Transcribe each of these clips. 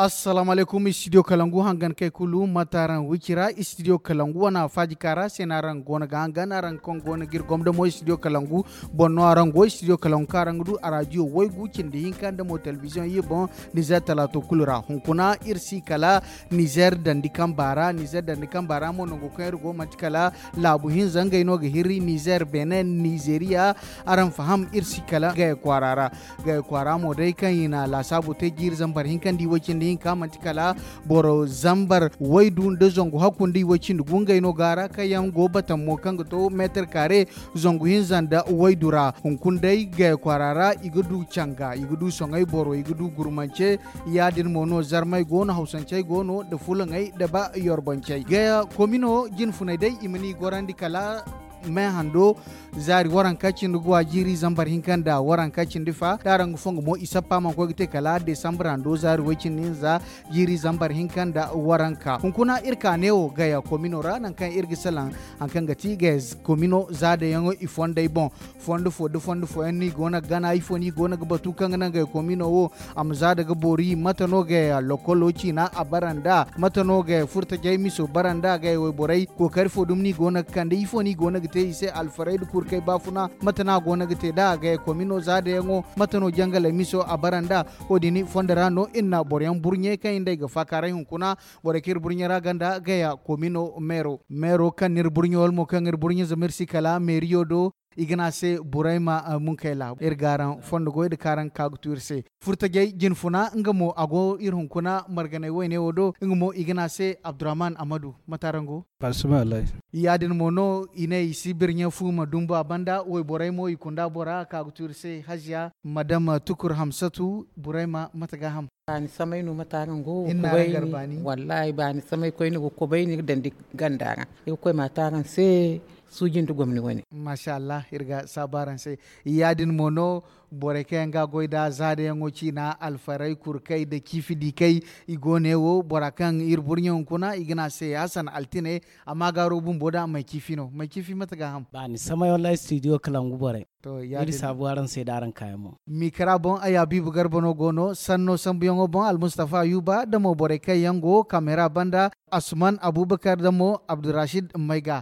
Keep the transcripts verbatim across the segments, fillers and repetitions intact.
Assalamu alaykum, studio kalangu hangan kay kulu, mate araŋ wicira? Studio kalangu wana faaji kaara se no araŋ go no ga hangan. Araŋ kaŋ go no ga iri gomda mo, studio kalangu boŋ no araŋ go. Studio kalangu kaŋ araŋ ga du a radio waygu cindi hinka nda mo television iri boŋ nizer talaato kulu ra. Hunkuna iri si kala nizer dandi kamba ra. Nizer dandi kamba ra mo nangu kaŋ iri go manti kala laabu hinza ngey no ga hiri nizer, benin, nizeriya. Araŋ faham, iri si kala gaya kwaara ra. Gaya kwaara mo day kaŋ i na laasaabu te jiiri zambar hinka nda iway cindi hinka manti kala boro zambar waydu nda zangu hakku nda iway cindi gu ngey no go a ra. Kaŋ yaŋ go batamo kaŋ ga to meetar kaare zangu hinza nda waydu ra. Hunkuna day gaya kwaara ra i ga du canga, i ga du soŋay boro, i ga du gurmance. Ya-din mo no zarmey go no, hawsancey go no, nda fulaŋey nda ba yorboncey. Gaya komino jinfuney day i ma ni gorandi kala me hando zaari waranka cindi guwa jiiri zambar hinka nda waranka cindi fa. Da araŋ ga fongu mo i sappa mana koy ga te kala desambar hando zaari way cindi hinza jiiri zambar hinka nda waranka. Hunkuna iri ka neewo gaya komino ra nangu kaŋ iri ga salaŋ hari kaŋ ga ti gaya komino zaadayaŋo i fondey boŋ. Fondo fo da fondo fooyaŋ no i go no ga gana ifo no i go no ga batu kaŋ ga naŋ gaya komino wo a ma zaada ga boori? Mate no gaya lokolo ciina a bara nd'a? Mate no gaya furtajey miso bara nd'a? Gaya wayborey kookari fo dumi no i go no ga kande? Ifo no i go no ga te i se alfarey nda kurkey baafuna? Mate no a go no ga te nd'a gaya komino zaadayaŋo? Mate no jangaley miso a bara nd'a? Wo-din fondo ra no iri na boroyaŋ burɲe kaŋ iri nd'ey ga faakaaray hunkuna. Borey kaŋ iri burɲe ra ganda gaya komino meero meero kaŋ no iri burɲe wala mo kaŋ iri burɲe zama iri si kala meeriyo do. I ga ne a se burayma munkayla iri ga araŋ fondo goy nda kaŋ araŋ ga ka ga tu iri se. Furtajey jinfuna nga mo a go iri hunkuna marganay wayne wo do. Nga mo i ga ne a se abdurrahman amadu. Mate araŋ go? Ya-din mo no i ne i si birɲe fu ma dumbu a banda wayborey mo i kunda bora ka ga tu iri se haziya madama tukur hamsatu burayma mate ga ham? Baani samay no mate araŋ go ga kobayni? Wallahi baani samay koyne go ga kobayni ga dandi ganda ra. Iri ga koy ma te araŋ se suuji nda gomni wane. Masha allah iri ga saabu araŋ se. Ya-din mo no borey kaŋ yaŋ ga a goy nd'a zaadayaŋo ciina alfarey kurkey nda ciifi diikey. I go ne wo bora kaŋ iri burɲe hunkuna i ga ne a se hasan altine. Amma gaaro bumbo da may ciifi no may ciifi mate ga ham? Baani samay wallahi studio kalangu borey. Iri saabu araŋ se da araŋ kaayaŋ mo. Mikra boŋ ay habiibu garba no go no sanno sambuyaŋo boŋ almustafa ayuba nda mo borey kaŋ yaŋ go kamera banda asuman abubakar nda mo abdurashid mayga.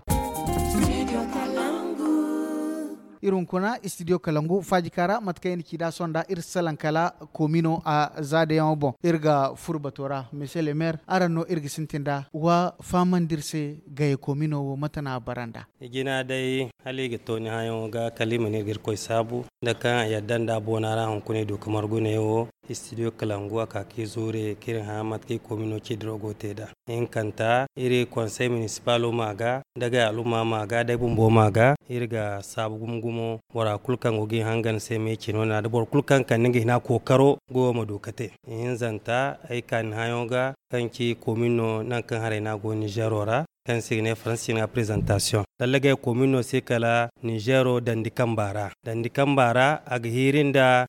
Iri hunkuna studio kalangu faaji kaara mate kaŋ i na ci nd'a sonda iri salaŋ kala komino a zaadayaŋo boŋ iri ga furo bato ra monsieur le maire araŋ no iri ga sintin nd'a wa fahamandi iri se. Gaye komino wo mate no a bara nd'a? Ijina day hala i ga to ni hayaŋo ga kala i ma ne ga irkoy saabu nda kaŋ a yadda nda a boona ra hunkuna i du ga margu neewo. Studio kalangu a ka ka i zuure ka iri hã mate kaŋ i komino ci diraw go ga te nd'a. Hinkanta iri konsey minisipalo ma ga nda gay alumma ma ga day bumbo ma ga iri ga saabu gumo gumo bora kulu kaŋ go ga i hangan se me cino na da boro kulu kaŋ kande nga hina kookaro goyo ma du ga te. Ihinzanta ay ka ni hayaŋo ga kaŋ ci komin no nangu kaŋ haray no a go ninzeero ra kaŋ se i ga ne faransa ciine ga prezantasiyoŋ. Lallagey komin no se kala ninzeero dandi kamba ra dandi kamba ra a ga hiiri nda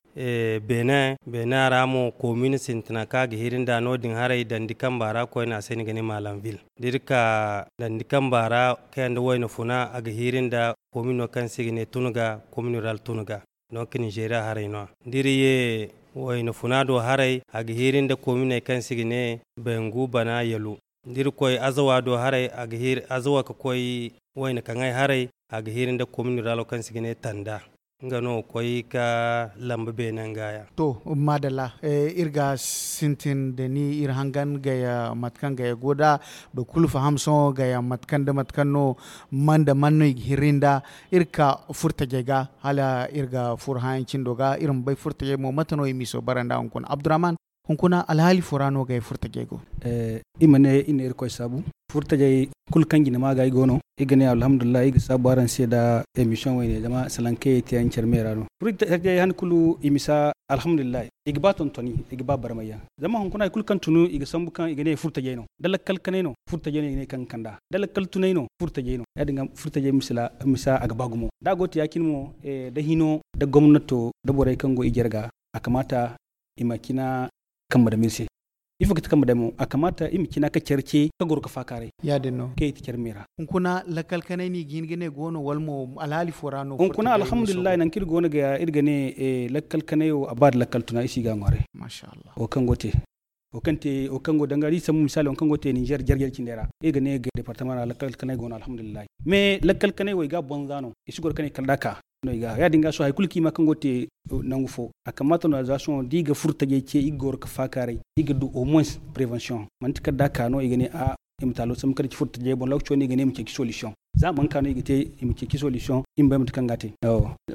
benin benin ra mo komin sintina kaŋ a ga hiiri nda no- din haray dandi kamba ra koyne a se no i ga ne malam vil. Da iri ka dandi kamba ra kayanda wayna funa a ga hiiri nda komin no kaŋ se i ga ne tun ga komin rural tun ga donk ninzeeriya haray no- ya da iri ye wayna funa do haray a ga hiiri nda kominey kaŋ se i ga ne bengu bana yalu. Da iri koy azawa do haray a ga hiiri azawa ga koy wayna kaŋay haray a ga hiiri nda komin ruralo kaŋ se i ga ne tanda. Nga no ga koy ga lamba beene nga ya. To maadalla. Iri ga sintin da ni iri hangan gaya mate kaŋ gaya go nd'a boro kulu faham sohõ gaya mate kaŋ nda mate kaŋ no man nda man no i ga hirri nd'a. Iri ga ka furtajey ga hala iri ga furo hããyaŋ cindo ga iri ma bay furtajey mo mate no i miso bara nd'a hunkuna abdurrahman? Hunkuna alhaali fo ra no gay furtajey go? I ma ne iri na irkoy saabu furtajey kulu kaŋ jine ma ga i go no. I ga ne alhamdulillahi i ga saabu araŋ se nda emisiyoŋ wayne zama salaŋ kaŋ i te yaŋ care me ra no. Furtajey han kulu i misa alhamdulillahi. I ga ba tontoni i ga ba barmay yaŋ. Zama hunkuna hari kulu kaŋ tunu i ga sambu kaŋ i ga ne furtajey no da lakkal kanay no furtajey no i ga ne kaŋ ga kand'a da lakkal tunay no furtajey no ya- din ga furtajey misa a ga ba gumo da a go ga te ya- cine mo da hino da gomnato da borey kaŋ go i jarga. A kamaata i ma cina kambe dam iri se. Ifo ga ti kambe damo a kamaata i ma cina ka care ce ka goro ga faakaaray. Ya- din no kaŋ i ti care me ra. Hunkuna lakkal kanay no i ga hin ga ne go no wala mo alhaali fo ra no furtajey go no? Hunkuna alhamdulillahi nangu kaŋ iri go no ga ya iri ga ne lakkal kanay wo a ba nda lakkal tuna i si ga a ŋwaaray. Masha allah. Wo kaŋ go ga te. Wo kaŋ go danga da i sambu misaali wo kaŋ go ga te ninzeer jarjar cindey ra, iri ga ne ga departama ra lakkal kanay go no alhamdulillahi. Mais lakkal kanay wo i ga a bonza no, i si goro kanay kala da a ka. No i ga ya- din ga sohõ hari kulu kaŋ i ma kaŋ go ga te nangu fo, a kamaata no za sohõ da i ga furtajey ce i ga goro ga faakaaray, i ga du au moins prevention. Manti kala da a ka no i ga ne a i ma taalo sambu kala ci furtajey boŋ lokaco no i ga ne i ma ceeci solution. Za a mana ka no i ga te, i ma ceeci solution, i ma bay mate kaŋ ga a te.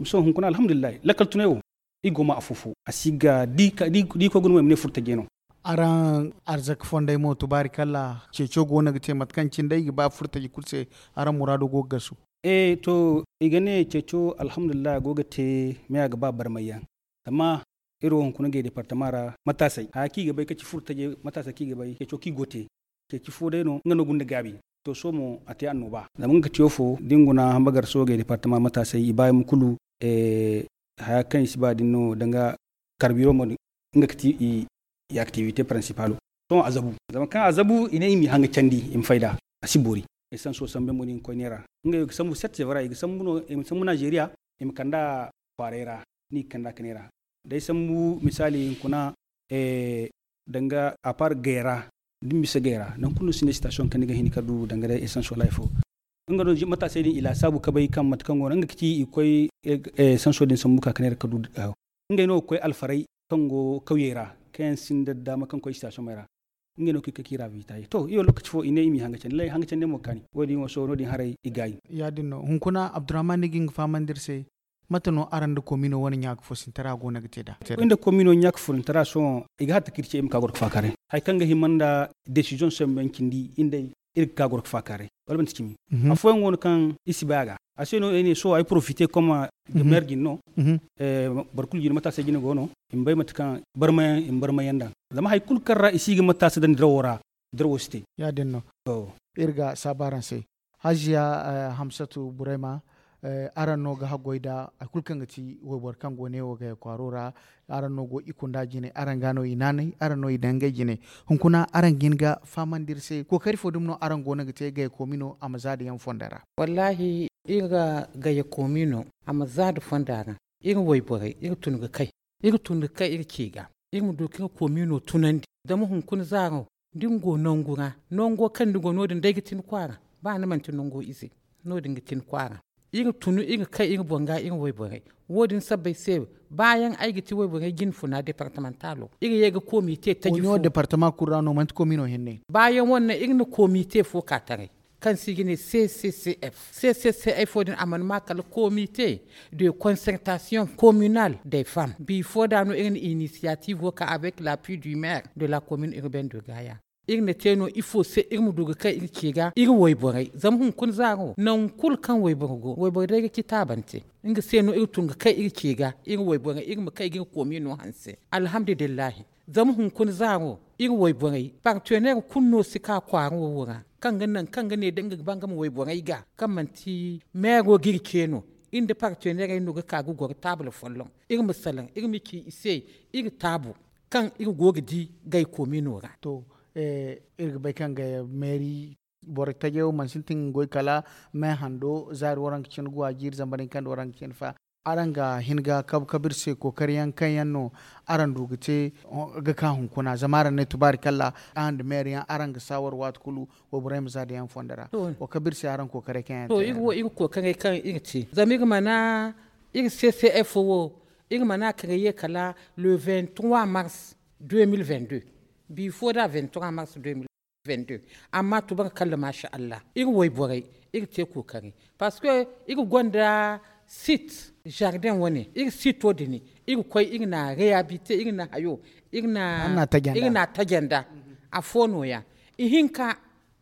Sohõ hunkuna alhamdulillahi lakkal tunay wo, i go ma afo-fo a si ga da i koy ga no mo i ma ne furtajey no. Araŋ arzaka fondey mo tubaari kalla ceeco go no ga te mate kaŋ cine day i ga ba furtaji kulu se. Araŋ muraado go ga gasu. E to, i ga ne ceeco alhamdulillahi a go ga te. Me a ga ba barmay yaŋ. Zama iri wo hunkuna gay departama ra mataasay haya kaŋ i ga bay ka ci furtajey mataasay kaŋ i ga bay ceeco kaŋ i go ga te. Ceeci fo day no nga no gunda gaabi. To sohõ mo a te annooba zama nga ga te wo fo da ni guna hamba gar soogey departama mataasey i ba yaŋ kulu. Haya kaŋ i si ba din no danga karbiro mo din nga ga ti i activité principalo. Sohõ a zabu zama kaŋ a zabu i ne i m'i haŋ ga candi i ma fayda. A si boori. Ay sanso sambu yaŋ mo din ga koy neera. Ngey ga sambu set sevra i ga sambu no i ma sambu naazeeriya i ma kand'a kwaaray ra. Ni ga kand'a ka neera da ay sambu misaali hunkuna danga a par gay ra. Da ni bisa gay ra nangu kulu no sinda sitasiyoŋ kaŋ ni ga hin ka du danga day essence wala hari fo. Nga no mataasey din i laasaabu ka bay kaŋ mate kaŋ go no nga ga ci i ga koy sanso din sambu ka ka neera ka du. Ngey no ga koy alfaray kaŋ go kawyey ra kaŋ yaŋ sinda daama kaŋ koy sitasiyoŋey ra. Ngey no ga koy ka k'i ra vitaye to i wo lookaci fo i ne i m'i haŋ ga candi lay haŋ ga candi mo ga kaani wo- din wo sohõ no- din haray i gaayi. Ya- din no hunkuna abdurrahman ni ga nga fahamandi iri se. Mate no araŋ nda komino wane ɲaaka foosinta ra go no ga te nd'a? Iri nda komino ɲaaka foosinta ra sohõ i ga hatta ka iri ce iri ma ka goro ga faakaaray hari kaŋ ga hima nda desiziyoŋ sambu yaŋ cindi iri day iri ga ka goro ga faakaaray. Wala manti cimi. Afooyaŋ go no kaŋ iri si bay a ga a se no ay ne sohõ ay porofite koma ga meer jine no. Boro kulu jine mataasey jine go no i ma bay mate kaŋ barmayaŋ i ma barmayaŋ daŋ. Zama hari kulu kaŋ ra i si ga mataasa daŋ dirawo ra dirawo si te. Ya- din no. Iri ga saabu araŋ se. Haziya hamsatu burayma, araŋ no ga haggoy nda hari kulu kaŋ ga ti wayboro kaŋ go ne wo gaya kwaaro ra. Araŋ no go i kunda jine araŋ ga no i naanay araŋ no i daŋ ngey jine. Hunkuna araŋ ga hin ga fahamandi iri se kookari fo dumi no araŋ go no ga te gaya koomino a ma za nda yaŋ fonda ra. Wallaahi iri ga gaya koomino a ma za nda fonda ra. Iri wayborey iri tun ga kay iri tun ga kay iri ci ga iri ma du ka iri koomino tunandi. Zama hunkuna zaaro da ni go nangu ra nango kaŋ ni go no- din day ga ti ni kwaara. Ba ni manti nango ize no- din ga ti ni kwaara. Iri tun iri kay iri boŋ ga iri wayborey wo- din sabbay se. Baayaŋ ay ga ti wayborey jinfuna departamantalo iri ye ga koomite taji fo. Departama kulu ra no manti koomino hinne. Baayaŋ wane iri na koomite fo ka taray kaŋ se i ga ne c c c f c c c f wo- din a mana ma kala koomite de concertasiyoŋ kominal de fam bifo da no iri na inisiyativo ka avec la pui du maire de la komine urbaine de gaya. Iri na te no ifo se iri ma du ga kay iri ce ga iri wayborey zama hunkuna zaaro nangu kulu kaŋ wayboro go wayboro day ga ci taabante. Nga se no iri tun ga kay iri ce ga iri wayborey iri ma kay ga iri koomino hanse. Alhamdulillahi. Zama hunkuna zaaro iri wayborey partener kulu no si ka kwaara wo wo ra kaŋ ga naŋ kaŋ ga ne da nga ga ba nga ma wayborey ga kaŋ manti meero ga iri ce no. Iri nda partenerey no ga ka ga goro taabul folloŋ iri ma salaŋ iri ma ci i se iri taabu kaŋ iri go ga di gay koomino ra. To iri ga bay kaŋ gay meeri boro tajey wo mana sintin ga goy kala me hando zaari waranka cine go a jiiri zamba din kaŋ da waranka cine fa. Araŋ ga hin ga kabu kabu iri se kookari yaŋ kaŋ yaŋ no araŋ du ga te ga ka hunkuna zama araŋ ne tubaari kalla araŋ nda meeri yaŋ araŋ ga saawar waati kulu wayborey ma za da yaŋ fondo ra. Wa kabu iri se araŋ kookaray kaŋ yaŋ to iri wo iri kookaray kaŋ iri te zama iri mana iri c c f wo iri mana kare ye kala le vingt trois mars deux mille vingt deux. Bifo da vingt trois mars deux mille vingt deux. Amma tubaari kalla maasa allah iri wayborey iri te kookari parce que iri gonda sit jardin wane iri sito din iri koy iri na rehabilite iri na hayo iri na tajanda. Afo no- ya ihinka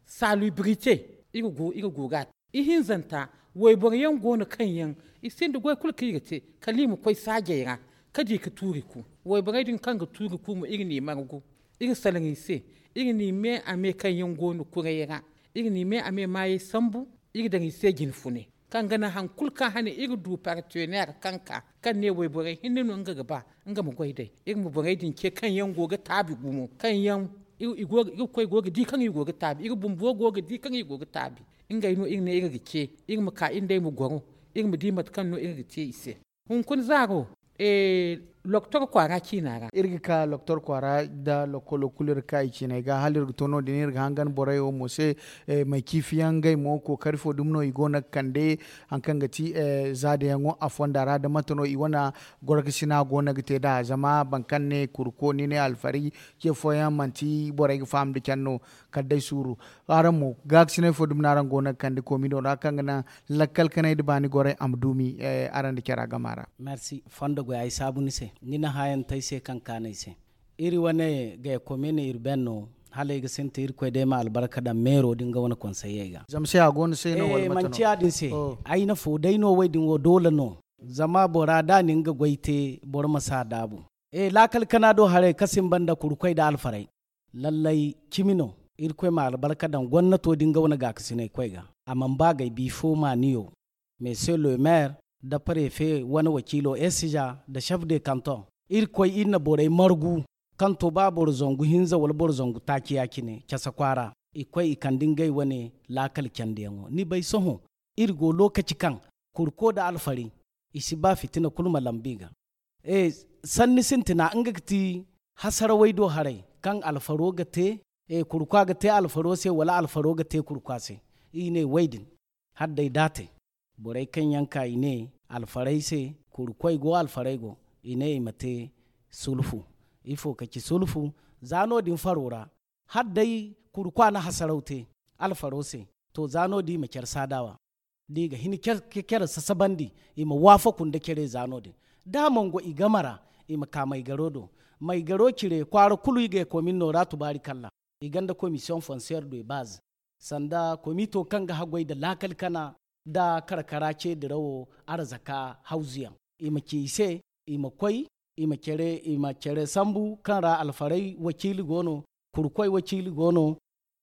salubrite iri go ga te ihinzanta wayboro yaŋ go no kaŋ yaŋ i sinda goy kulu kaŋ i ga te kala i ma koy saajey ra ka di ka tuuri ku wayborey din kaŋ ga tuuri ku mo iri n'i margu. Iri salaŋ i se iri n'i me a me kaŋ yaŋ go no kuray ra iri n'i me a me maayey sambu iri daŋ i se jinfune kaŋ ga naŋ hari kulu kaŋ hane iri du partener kaŋ ka kaŋ ne wayborey hinne no nga ga ba nga ma goy day iri ma borey din ce kaŋ yaŋ go ga taabi gumo kaŋ yaŋ iri koy go ga di kaŋ i go ga taabi iri bumbo go ga di kaŋ i go ga taabi. Ngey no iri ne iri ga ce iri ma ka iri nd'ey ma goro iri ma di mate kaŋ no iri ga te i se. Hunkuna zaaro Loktor kwaara ciina ra. Iri ga ka loktor kwaara nda lokolo kulu iri ga ka i ciiney ga hala iri ga to no- din iri ga hangan borey wo mo se. May ciifi yaŋ ngey mo kookari fo dumi no i go no ga kande, hari kaŋ ga ti zaada yaŋo a fonda ra nda mate no i wane gorkasina go no ga te nd'a zama boro kaŋ ne kurko ni ne alfari ce fooyaŋ manti borey ga faham nda care no. Kala day suuru. Araŋ mo gaakasinay fo dumi no araŋ go no ga kande koomino ra kaŋ ga naŋ lakkal kanay nda baani gorey a ma duumi araŋ nda cara gama ra. Merci fondo goy ay saabu ni se ni na haayantey se kaŋ kaanay se. Iri wane gay komin irben no hala ay ga sintin irkoy day ma albarka daŋ meero da nga wane konsayey ga. Zama se a go no se no wala mate no? Manti ya- din se. Ay na fo day no way din wo doole no. Zama bora da ni nga goy te boro ma si a daabu. Laakal kana do haray kasin banda kurkoy da alfaray. Lallay cimi no. Irkoy ma albarka daŋ gomnato da nga wane gaakasinay koy ga. A mana ba gay bifo maaniyo. Monsieur le maire nda préfet wane wakiilo esija nda chef de canton. Irkoy iri na borey margu kaŋ to ba boro zangu hinza wala boro zangu taaci ya- cine case kwaara. I koy i kande ngey wane laakal candiyaŋo ni bay sohõ. Iri go lookaci kaŋ kurko nda alfari i si ba fitina kulu ma lambu i ga. Sanni sintina nga ga ti hasarawey do haray kaŋ alfaro ga te. Kurkwa ga te alfaro se wala alfaro ga te kurkwa se. I ne way din hala day da a te. Borey kaŋ yaŋ ka i ne alfarey se kurkoy go alfarey go i ne i ma te sulfu. Ifo ka ci sulfu? Za no- din faro ra hala day kurkwa na hasaraw te alfaro se. To za no- din i ma care saadawa da i ga hin ka care sasabandi. I ma waafaku nda care za no- din da a mango i game ra. I ma ka maygaro do maygaro cire kwaara kulu i ga ekomin no ra tubaari kalla. I gonda commission foncière de base sanda komito kaŋ ga haggoy nda laakal kana nda karkara ce dirawo arzaka hawzuyaŋ. I ma ci i se i ma koy i ma care sambu kaŋ ra alfaray wakiili go no, kurkoy wakiili go no,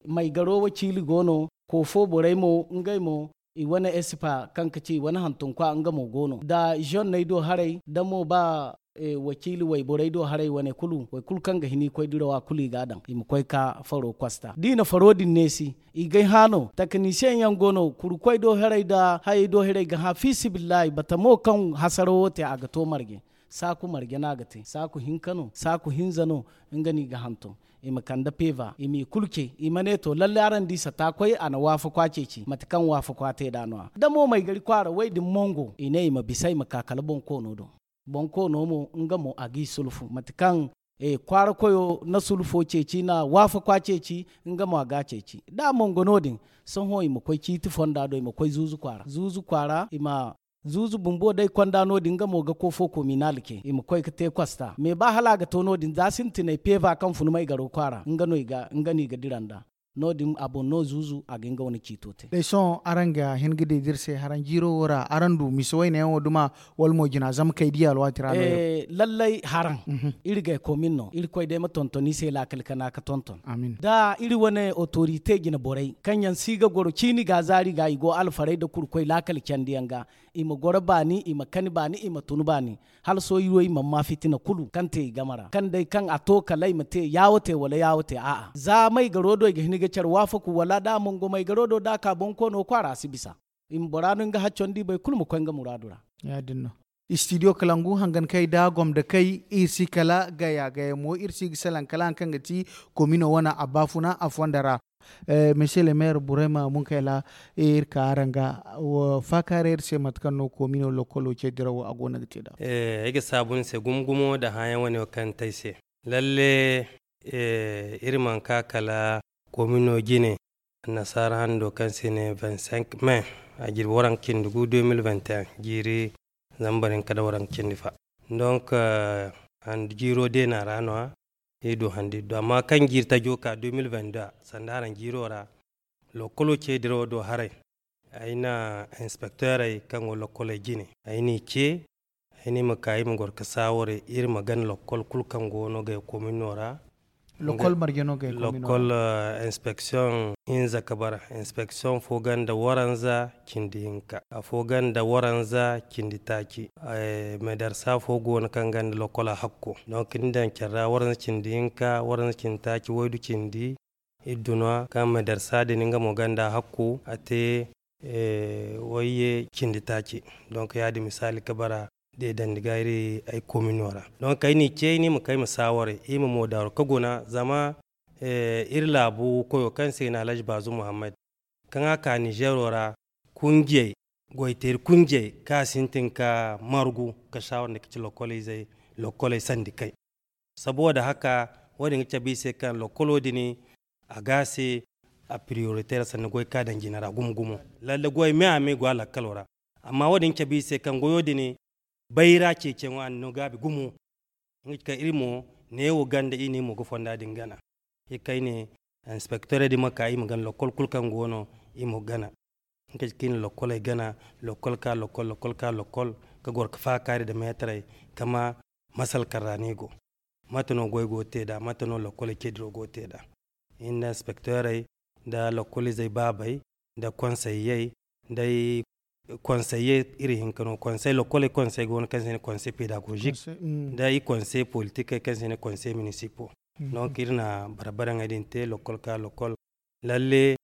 maygaro wakiili go no, koofo borey mo ngey mo i wane esipa kaŋ ga ci i wane hantunkwa nga mo go no nda zonney do haray nda mo ba wakiili wayborey do haray wane kulu waykulu kaŋ ga hin i koy dirawa kulu i ga a daŋ i ma koy ka faro kosta da i na faro din neesi. I gay hã no takanisiyeŋ yaŋ go no kurkoy do haray nda hayey do haray ga hã fiisibillahi batamo kaŋ hasarawo te a ga to marje. Saaku marje no a ga te saaku hinka no saaku hinza no. Nga no i ga hantum i ma kande peva i m'i kulu ce i ma ne to lalle araŋ di sata koy a na waafakwa ceeci mate kaŋ waafakwa te nd'a no-ya da mo maygari kwaara way din mongo i ne i ma bisa i ma ka kala boŋ koono do. Boŋ koono mo nga mo a g'i sulfu mate kaŋ kwaara koyo na sulfo ceeci na waafakwa ceeci. Nga mo a g'a ceeci da a mongo no- din. Sohõ i ma koy ciiti fonda do i ma koy zuuzu kwaara zuuzu kwaara i ma zuuzu bumbo day konda no- din nga mo ga koofo kominal ce i ma koy ga te kosta me ba hala a ga to no- din za sintinay peva kaŋ fun maygaro kwaara nga no i ga dira nd'a. No- din a boŋ no zuuzu a ga nga wane ciito te. Day sohõ araŋ ga hin ga di da iri se haraŋ jiiro wo ra araŋ du misa wayne yaŋo duma wala mo jina zama kay di alwaati ra no? Lallay haraŋ. Iri gay komin no irkoy day ma tonton i se laakal kana ga tonton. Da iri wane otorite jina borey kaŋ yaŋ si ga goro ciini ga zaari ga i go alfaray nda kurkoy laakal candiyaŋ ga i ma goro baani i ma kani baani i ma tun baani. Hala sohõ iri wo i mana ma fitina kulu kaŋ te i game ra kaŋ day kaŋ a to kala i ma te yaawo te wala yaawo te a'a za maygaro do i ga hin ga care waafaku wala da a mongo maygaro do da a ka boŋ koono kwaara a si bisa. I ma bora no nga haccondi boro kulu ma koy nga muraadu ra. Ya- din no. Istidiyo kalangu hangan kay da gomda kay iri si kala gaya gaya mo iri si ga salaŋ kala hari kaŋ ga ti komino wane a baafuna a fonda ra. Monsieur le maire burayma munkayla iri ka araŋ ga faakaaray iri se mate kaŋ no komino lokkolo ce dirawo a go no ga te nd'a. Ay ga saabu ni se gumo gumo nda hããyaŋ wane wo kaŋ ni te ay se. Lalle iri mana ka kala komino jine annasaara hando kaŋ se i ne vingt cinq mai a jirbi waranka cindi gu deux mille vingt et un jiiri zambar hinka nda waranka cindi fa. Donc handi jiiro deena ra no- ya iri du handi iri du amma kaŋ jiiri tajo ka deux mille vingt deux sanda haraŋ jiiro ra lokkolo ce dirawo do haray. Ay na inspekteerey kaŋ go lokkoley jine ay n'i ce ay ne i ma ka i ma goro ga saaware iri ma gana lokkol kulu kaŋ go no gay komino ra. Lokkol marje no gay komino ra? Lokkol inspeksiyoŋ hinza ga bara inspeksiyoŋ fo ganda waranza cindi hinka afo ganda waranza cindi taaci. Medarsa fo go no kaŋ ganda lokkola hakko donk ni daŋ care ra waranza cindi hinka waranza cindi taaci waydu cindi iddu no- ya kaŋ medarsa din nga mo ganda hakko a te wayye cindi taaci. Donk ya- din misaali ga bara deedandi ga iri ay komino ra. Donk ay n'i ce ay ne i ma kay ma saawaray i ma moodaaru ka guna zama iri laabu koyo kaŋ se i ne alhaji baazu muhammad kaŋ a ka nizeero ra kunjey goyteeri kunjey kaŋ a sintin ka margu ka saawar nda ka ci lokkoley sandi kay. Saboda haka wo- din ga cabe i se kaŋ lokkolo din a ga a se a priyoriteer sanda goy kaŋ a daŋ jina ra gumo gumo. Lalle goy me a me go a lakkalo ra. Amma wo- din cabe i se kaŋ goyo din bayra ceeciyaŋo a na no gaabi gumo. Nga ci kaŋ iri mo neewo ganda i ne i mo ga fonda din gana. Iri kayne inspektorey din ma ka i ma gana lokkol kulu kaŋ go no i ma gana. Nga ci kaŋ i na lokkoley gana lokkol ka lokkol lokkol ka lokkol ka goro ka faakaari nda meetarey ka ma masal kaŋ ra no i go. Mate no goy go ga te nd'a mate no lokkoley ceediro go ga te nd'a? Iri nda inspektorey nda lokkolizey baabey nda konseyyey nda ay konseye iri hinka no konsey lokkoley konsey go no kaŋ se ne konsey pedagozik nda i konsey politikey kaŋ se ne konsey minisipo. Donc iri na barbaraŋey din te lokkol ka lokkol lalle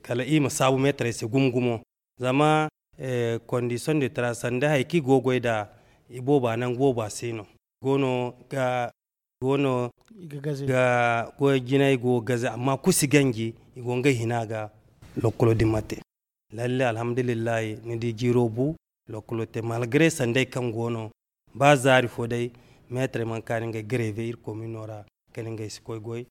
kala i ma saabu meetarey se gumo gumo. Zama kondision de tara sanda hari kaŋ i go ga goy nd'a i booba nangu booba se no. Goono ga goono ga goy jinay go ga gaze amma kulu si ganji i go ngey hina ga. Lokkolo din ma te lalle alhamdulillahi ni di jiiro bu. Lokkolo te malgre sanday kaŋ goono ba zaari fo day meetarey mana kaani ngey greve iri komino ra kala ngey si koy goy.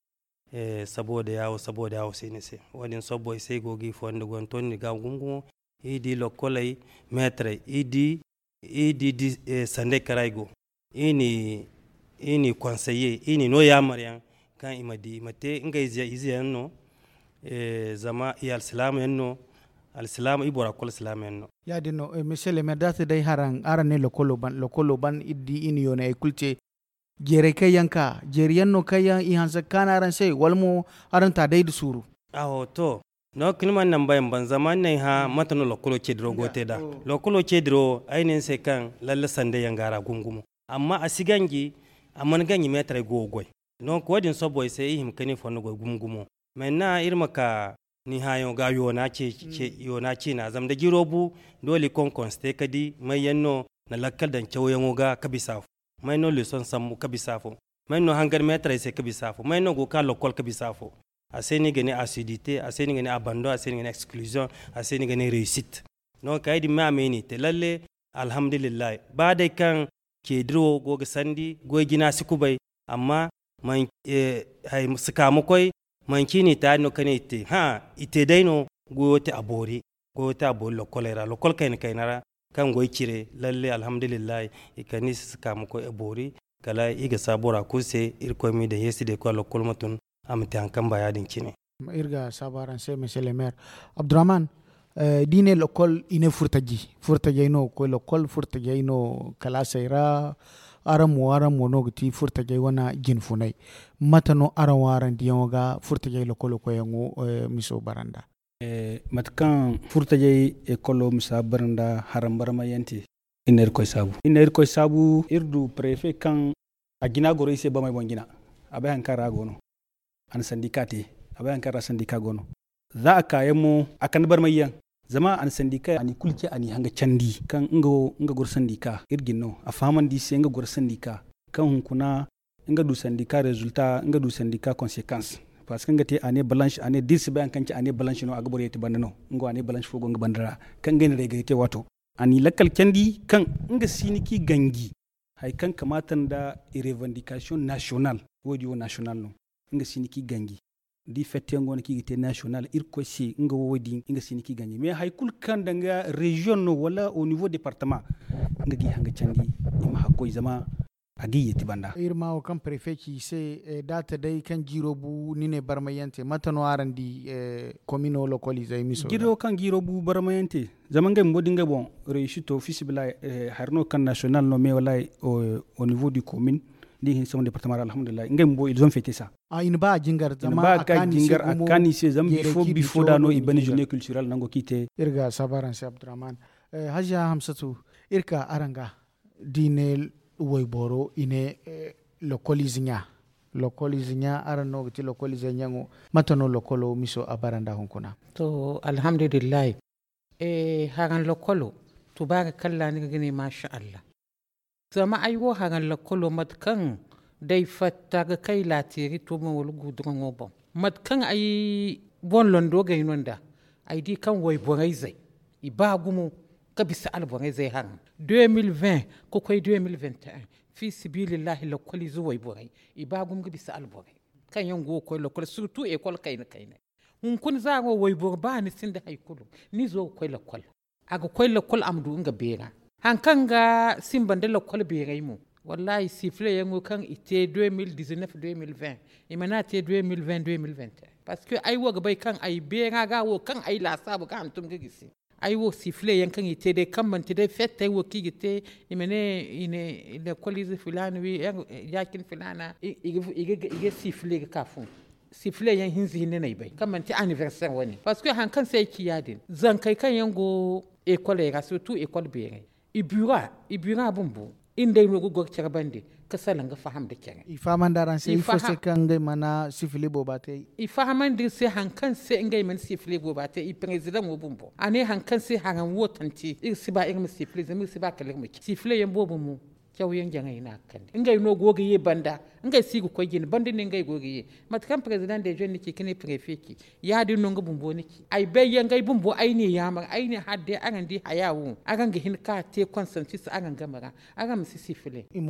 Saboda yaawo saboda yaawo se ni se wo- din sobbo ay se ay go ga i fonda goy ni tondi ga gumo gumo. I di lokkoley meetarey i di i di sanday kara i go i ni konseye i ni no yaamar yaŋ kaŋ i ma di i ma te ngey ize yaŋ no. Zama i alsilaama yaŋ no. Alsilaama i bora kulu alsilaama yaŋ no. Ya- din no monsieur le maire da a te day haraŋ araŋ ne lokkolo ban iri di i na yoonay hari kulu te. Jeeray kaŋ yaŋ ka jeeri yaŋ no kaŋ yaŋ i hanse ga kaanu araŋ se wala mo araŋ ta day nda suuru? Aho to no kaŋ ni mana naŋ bayaŋ ban zama ni na ay hã mate no lokkolo ceediro go ga te nd'a. Lokkolo ceediro ay ne ni se kaŋ lalle sanday yaŋ go a ra gumo gumo. Amma a si ganji a mana ganji meetarey go ga goy. Donk wo- din sobbo ay se i hima ka ni fondo goy gumo gumo. Menne iri ma ka ni hãayaŋo ga yoona ciina zama da jiro bu doole i konkonse te ka di may yaŋ no na lakkal daŋ cawyaŋo ga ka bisa afo? May no leeson sambu ka bisa afo? May no hangar meetarey se ka bisa afo may no go ga ka lokkol ka bisa afo? A se no i ga ne asidite a se no i ga ne abando a se no i ga ne ekskluziyoŋ a se no i ga ne reesit. Donk ay din me a me no i te lalle. Alhamdulillahi ba day kaŋ ceediro go ga sandi goy jina si kubay. Amma si ka ma koy manci no i te ya- din no kaŋ i te hã i te day no. Goyo te a boori lokkoley ra lokkol kayna kayna ra kaŋ goy cire lalle alhamdulillahi. I kande i se si ka ma koy a boori kala i ga saabu bora kulu se irkoy ma i daŋ yeesi day koy a lokkol ma tun. A ma te hari kaŋ ba ya- din cine. Iri ga saabu araŋ se monsieur le maire abdurrahman. Da i ne lokkol i ne furtaji furtajey no ga koy lokkol furtajey no kalaasey ra. Araŋ mo araŋ mo no ga ti furtajey wane jinfunay. Mate no araŋ wo araŋ diyaŋo ga furtajey lokkolo koyyaŋo miso bara nd'a? Mate kaŋ furtajey ekolo misa bara nda haraŋ barmay yaŋ te. Iri na irkoy saabu iri na irkoy saabu iri du prefe kaŋ a jina goro iri se bamey boŋ jina. A bay hari kaŋ ra a go no a na sandika te. A bay hari kaŋ ra sandika go no za a kaayaŋ mo a kande barmay yaŋ. Zama a na sandika a n'i kulu ce a n'i hanga candi kaŋ nga wo nga goro sandika iri jine no a fahamandi i se nga goro sandika kaŋ hunkuna nga du sandika rezulta nga du sandika konsekans. Parceque nga te a ne balanse a ne da iri si bay hari kaŋ ci a ne balanse no a ga boro yeeti banda no. Nga wo a ne balanse fo go nga banda ra kaŋ ngey na reegay te waato a n'i lakkal candi kaŋ nga si ni kaŋ i ganji hari kaŋ kamaata nda i revandikasiyoŋ nasiyonal. Wo- din wo nasiyonal no. Nga si ni kaŋ i ganji da i fetteyaŋ go no kaŋ i ga te nasiyonal irkoy se nga wo- din nga si ni kaŋ i ganji mais hari kulu kaŋ danga reziyoŋ no wala au nivo departama nga ga i hanga candi i ma hakkoy zama a ga i yeeti banda. Iri ma wo kaŋ prefe ci i se da a ta day kaŋ jiiro bu ni ne barmay yaŋ te mate no araŋ di? Komino lokoliizey miso jiiro kaŋ jiiro bu barmay yaŋ te zama ngey bumbo da ngey boŋ reesito fiisabilillahi. Hari no kaŋ nasiyonal no mais wallahi au nivo du komin da i hin sambu departama ra alhamdulillahi ngey bumbo ils ont fete sa. I na ba a jingar zama a kaani se zama bifo bifo da no i bane journée culturelle nango kaŋ i te. Iri ga saabu araŋ se abdurrahman. Hajiya hamsatu, iri ka araŋ ga da i ne wayboro i ne lokoliize ɲa. Lokoliize ɲa araŋ no ga ti lokoliizey ɲaŋo. Mate no lokolo miso a bara nda hunkuna? To alhamdulillahi. Haraŋ lokolo Tubaara kalla ni ga ne maasa allah. Zama ay wo haraŋ lakkolo mate kaŋ day fatta ga kay laateeri toomo wala guuduraŋo boŋ, mate kaŋ ay boŋ londo gay no nd'a, ay di kaŋ wayborayzey i ba gumo ga bisa alborayzey haraŋ. Deux mille vingt ka koy deux mille vingt et un, fi sibiilillahi lakkoliize wayborey i ba gumo ga bisa alborey kaŋ yaŋ go ga koy lakkol, surtout ekol kayna kaynay. Hunkuna za wo wayboro ba ni sinda hari kulu, ni zo ga koy lakkol. A ga koy lakkol a ma du nga beera. Haŋ kaŋ ga simba nda lakkol beeray mo, wallahi sifile yaŋo kaŋ i te deux mille dix-neuf deux mille vingt, i mana te deux mille vingt deux mille vingt et un. Parce que ay wo ga bay kaŋ ay beera ga wo kaŋ ay laasaabu ga hantum ga gisi. Ay wo sifile yaŋ kaŋ i te day kaŋ manti day fettey wo kaŋ i ga te, i ma ne i ne lakkoliize filaana wi, yaacin filaana i ga sifile ga ka fun. Sifile yaŋ hinza hinne no ay bay kaŋ manti anniversaire wane, parce que haŋ kaŋ se ay ci ya- din zankey kaŋ yaŋ go ekoley ra, surtout ekol beerey, i bura i bura bumbo, iri nd'ey no ga goro care bande ka salaŋ ga faham nda care. I fahamandi araŋ se ifo se kaŋ ngey mana sifile booba te? I fahamandi iri se haŋ kaŋ se ngey mana sifile booba te, i perezidaŋo bumbo a ne haŋ kaŋ se haraŋ wo tanti iri si ba iri ma sifile zama iri si ba kala iri ma ci sifile yaŋ boobo mo. Cawyaŋ jaŋay no a ga kande ngey no go ga ye banda. Ngey si ga koy jine banda ne ngey go ga ye. Mate kaŋ perezidaŋ de jeune ni ci ka ne prefe ci, ya- din no nga bumbo ni ci ay bay yaŋ ngey bumbo ay ne yaamar ay ne hala day araŋ di haya wo araŋ ga hin ka te konsansis araŋ game ra. Araŋ ma si sifile i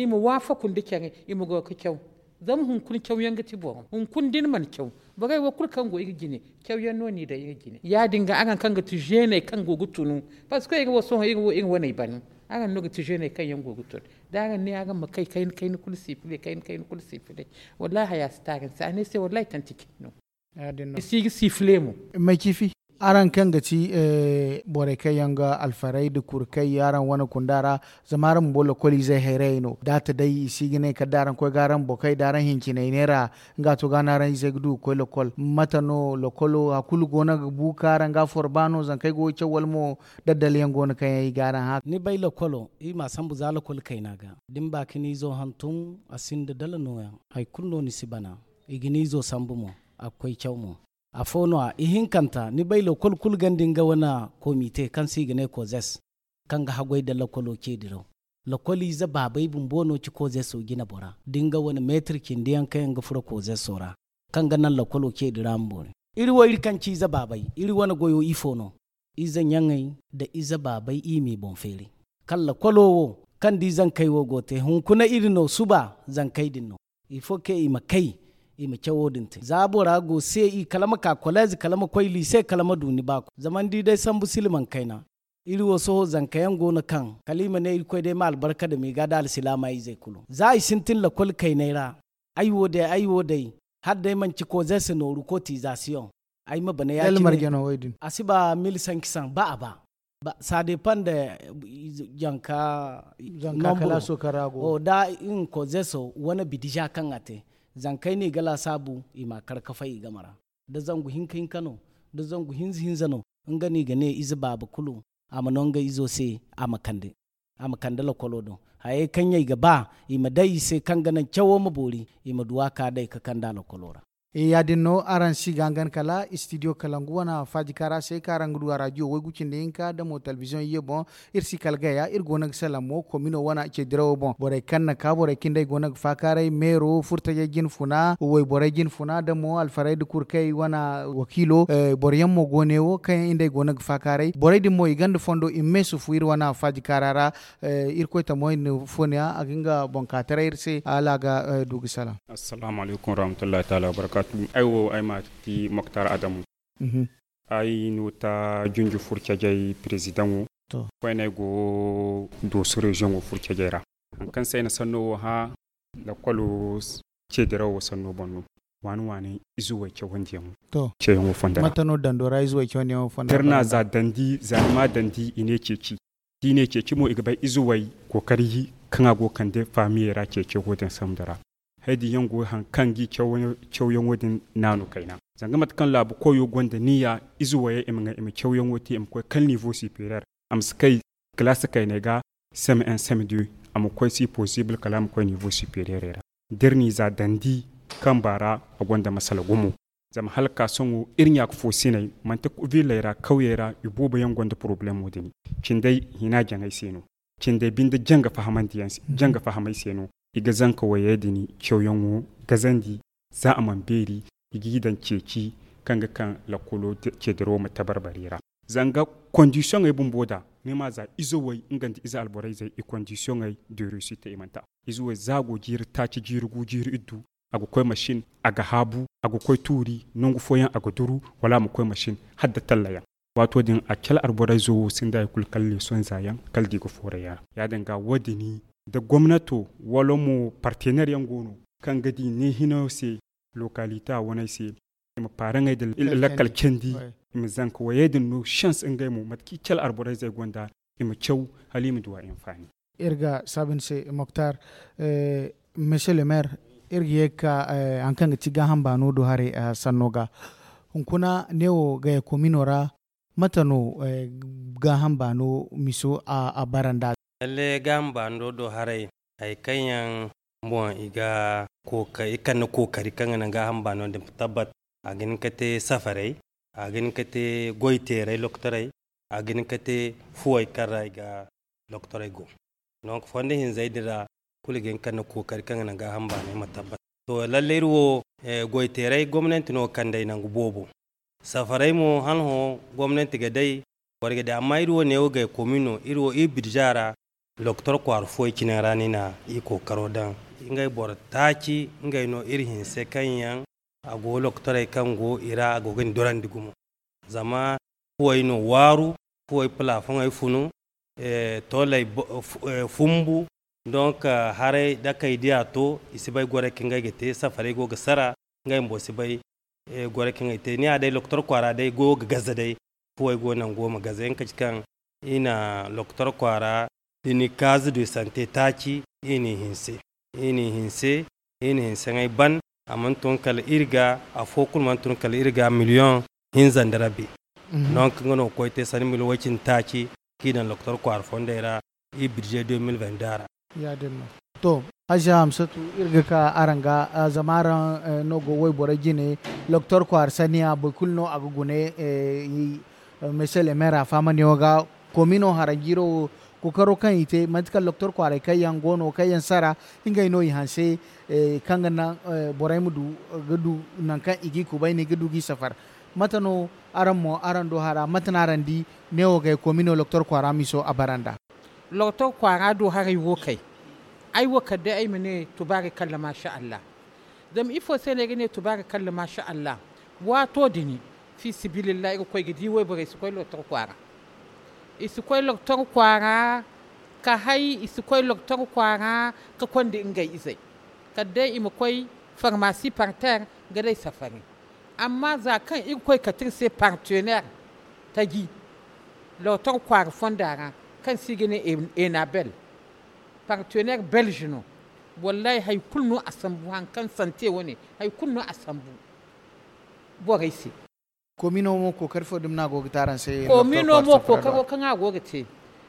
ma waafaku nda care i ma go ga caw. Zama hunkuna cawyaŋ ga ti boro hunkuna da ni mana caw, borey wo kulu kaŋ go iri jine cawyaŋ no n'i daŋ iri jine ya- din ga araŋ kaŋ ga ti zeeney kaŋ go ga tunu. Parce que iri wo sohõ iri wo iri waney bana. Araŋ no ga ti zeeney kaŋ yaŋ go ga tunu da araŋ ne araŋ ma kay kayna kayna kulu sifile kayna kayna kulu sifile. Wallahi haya si te araŋ se a ne se wallahi tanti cine no. I si ga sifile mo. May ciifi araŋ kaŋ ga ti borey kaŋ yaŋ ga alfaray nda kurkay araŋ wane kunda ra. Zama araŋ bumbo lokoliizey hayrayey no da a ta day i si ga ne kala da araŋ koy ga araŋ bokey da araŋ hinciney neera. Nga to ga no araŋ izey ga du ga koy lokol mate no lokolo hari kulu go no ga bu ka araŋ ga a forba no zankey go ga caw wala mo? Daddal yaŋ go no kaŋ yaŋ i ga araŋ hã. Ni bay lokolo iri m'a sambu za lokol kayna ga da ni ba ka ni izo hantum a sinda dala nooyaŋ. Hari kulu no ni si bana i ga ni izo sambu mo. A ga koy caw mo. Afo no- ya ihinkanta ni bay lokol kulu ganda nga wane komite kaŋ se i ga ne kozes kaŋ ga haggoy nda lokolo ce diraw. Lokoliize baabey bumbo no ci kozeso jine bora da nga wane meetir cindi yaŋ kaŋ yaŋ ga furo kozeso ra kaŋ ga naŋ lokolo ce dira ma boori. Iri wo iri kaŋ ci ize baabey iri wane goyo ifo no? Ize ɲaŋey nda ize baabey i m'i boŋ feeri. Kala lokolo wo kaŋ da i zankey wo go te hunkuna iri no suba zankey din no. Ifo kaŋ i ma kay i ma cawo din te za bora go se i kala ma ka koleez kala ma koy liise kala ma du ni baako zama ni di day sambu silmaŋ kayna. Iri wo sohõ zanka yaŋ go no kaŋ kala i ma ne irkoy day ma albarka dama i ga da alsilaama izey kulu za i sintin lakol kayney ra. Ay wo day ay wo day hala day manci koze se nooru kotizasiyoŋ. Ay ma bana ya- cine a si ba mil sankisaŋ ba a ba. Sadepan da janka kalaaso kaŋ ra go da nga kozeso wane bidija kaŋ a te. Zankey no i ga laasaabu i ma a kar ka fay i game ra da zangu hinka hinka no da zangu hinza hinza no. Nga no i ga ne ize baaba kulu a ma no nga izo se a ma kande a ma kande lokolo do. Hayey kaŋ ɲey ga ba i ma day i se kaŋ ga naŋ cawo ma boori i ma du a ka day ka kande a lokolo ra. Ya- din no araŋ si ga hangan kala istidiyo kalangu wane faajikaara se kaŋ araŋ ga du a raadiyo waygu cindi hinka nda mo talbiziyoŋ iyye boŋ. Iri si kala gaya iri go no ga salaŋ mo komino wane ceedirawo boŋ borey kaŋ na ka borey kaŋ day go no ga faakaaray meero furtajey jinfuna wayborey jinfuna nda mo alfarey nda kurkey wane wakiilo. Boro yaŋ mo go ne wo kaŋ yaŋ iri nd'ey go no ga faakaaray borey din mo i gonda fondo i ma meesufu iri wane faajikaara ra. Irkoy tamoy nda fooniya a ga nga boŋ ka taray iri se hala a ga du ga salaŋ. Assalaamu alaykum warahmatullahi taala wabarakaatu. Ay wo ay ma ti moktar adamu. Ay no ta junju furcejey perezidaŋo. Koyne ay go dooso reziyoŋo furcejey ra. Haŋ kaŋ se ay na sanno wo hã lakolo ceedirawo sanno boŋ no. Waani waani izuwey cawandiyaŋo ceeyaŋo fondo ra. Mate no dando ra izuwey cawandiyaŋo fondo ra? Birna za dandi za ni ma dandi i ne ceeci. Da i ne ceeci mo i ga bay izuwey kookari kaŋ a go ga kande faamiyey ra ceeci wo din sambu ra. Hay din yaŋ go haŋ kaŋ ga i cawyaŋo din naanu kayna. Zanga mate kaŋ laabu koyo gonda niya ize wayey i ma ŋay i ma cawyaŋo te i ma koy kala nivo sipereer. A ma si kay kalaasi kayney ga. Seme un seme deux a ma koy si posibul kala a ma koy nivo sipereerey ra. Da iri n'i za dandi kamba ra a gonda masala gumo. Zama hala ka sohõ iri ɲaaka fo siney manti villey ra kawyey ra i boobo yaŋ gonda poroblemo din. Cindey hina jaŋay se no. Cindey binde janga fahamandi yaŋ se janga fahamay se no. I ga zanka wayey din cawyaŋo gazandi. Za a mana beeri i g'i daŋ ceeci kaŋ ga kaŋ lakkolo ceediro ma tabarbari ra. Zanga kondisiyoŋey bumbo da ni ma za ize way nga nda ize alborayzey i kondisiyoŋey deeru i si te i mana ta. Ize way za a go jiiri taaci jiiri gu jiiri iddu. A ga koy masin, a ga haabu, a ga koy tuuri nangu fooyaŋ a ga duru, wala a ma koy masin hala da talla yaŋ. Waato din a cala alborayzo wo sinda hari kulu kala leesonza yaŋ kala da i ga fooray yaŋ ra. Ya- din ga wo- din da gomnato wala mo partener yaŋ go no kaŋ ga di ne hino se, lokalita waney se, i ma paaraŋey da lakkal candi, i ma zanka wayey din no sens ngey mo mate kaŋ i cala alborayzey gonda, i ma caw hala i ma duw'a infaani. Iri ga saabu ni se moktar, monsieur le maire, iri ga ye ga ka hari kaŋ ga ti gaaham baano do haray sanno ga. Hunkuna neewo gaya komino ra mate no gaaham baano miso a bara nd'a? Lalle gaaham baano do haray hari kaŋ yaŋ boŋ i ga kookari i kande kookari kaŋ ga naŋ gaaham baano din ma tabbat. A ga hin ka te safarey, a ga hin ka te goyteerey lokotorey, a ga hin ka te fuwey kaŋ ra i ga lokotorey go. Donk fondo hinzey din ra kulu ga hin ka ne kookari kaŋ ga naŋ gaaham baanay ma tabbat. To lalle iri wo goyteerey gomnanti no ga kand'ey nangu boobo. Safarey mo hala hõ gomnanti ga day, boro ga day amma iri wo neewo gay komi no iri wo iri birza ra. Lokotor kwaara fuwey cine ra no i na i kookaro daŋ. Ngey boro taaci ngey no iri hinse kaŋ yaŋ a go lokotorey kaŋ go i ra a go ga ni dorandi gumo. Zama fuwey no waaru, fuwey palafoŋey funu, tooley fumbu. Donk haray da kay diya to i si bay gorey kaŋ ngey ga te safarey go ga sara. Ngey bumbo si bay gorey kaŋ ngey te ni ya day lokotor kwaara day goyo ga gaza day. Fuwey go nango ma gaza yaŋ kaci kaŋ i na lokotor kwaara da ni kaazi du sante taaci. I n'i hinse i n'i hinse i n'i hinse ŋey ban. A mana tun kala iri ga afo kulu mana tun kala iri ga miliyoŋ hinza nda rabi. Donk nga no ga koy te sanda miliyoŋ way cindi taaci kaŋ i daŋ lokotor kwaara fondey ra. I birze deux mille vingt deux ra. Ya- din no. To, haziya hamsatu, iri ga ka araŋ ga zama araŋ no go wayborey jine. Lokotor kwaara saniya boro kulu no a ga gune. Monsieur le maire a fahamandi yaŋo ga komino haranjiiro wo kookaro kaŋ i te manti kala lokotor kwaaray kaŋ yaŋ go no kaŋ yaŋ sara ngey no i hanse kaŋ ga naŋ borey ma du ga du nangu kaŋ i g'i kubay no i ga du g'i safar. Mate no araŋ mo araŋ do hara mate no araŋ di? Neewo gay komino lokotor kwaara miso a bara nd'a. Lokotor kwaara do haray wo kay ay wo kala day ay ma ne tubaari kalla maasa allah. Zama ifo se no ay ga ne tubaari kalla maasa allah? Waato din fi sabilillahi iri ga koy ga di wayborey si koy lokotor kwaara. I si koy lokotor kwaara ka hay i si koy lokotor kwaara ka konda ngey izey kala day i ma koy farmasi parter ga day safari. Amma za kaŋ iri koy kate iri se partener taji lokotor kwaara fonda ra kaŋ se i ga ne enabel partener belge no. Wallahi hari kulu no a sambu hari kaŋ sante wane hari kulu no a sambu. Borey se. Komino mo kookari fo dumi no a go ga te araŋ se? Komino mo kookaro kaŋ a go ga te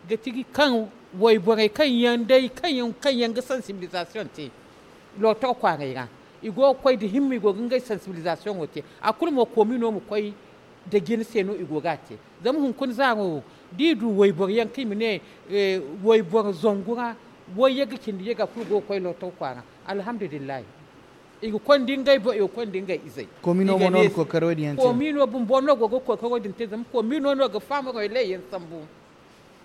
ga ti kaŋ wayborey kaŋ yaŋ day kaŋ yaŋ ga sansibilizasiyoŋ te lokotor kwaaray ra. I go ga koy nda himma i go ga ngey sansibilizasiyoŋo te. A kulu mo komino ma koy nda jina se no i go ga a te. Zama hunkuna zaaro wo da i du wayboro yaŋ kaŋ i ma ne wayboro zangu ra wayye ga cindi ye ga kulu go ga koy lokotor kwaara. Alhamdulillahi. I ga konda ngey boŋ i ga konda ngey izey. Komino mo no ga kookaro din yaŋ te? Komino bumbo no go ga kookaro din te zama komino no ga faama royley yaŋ sambu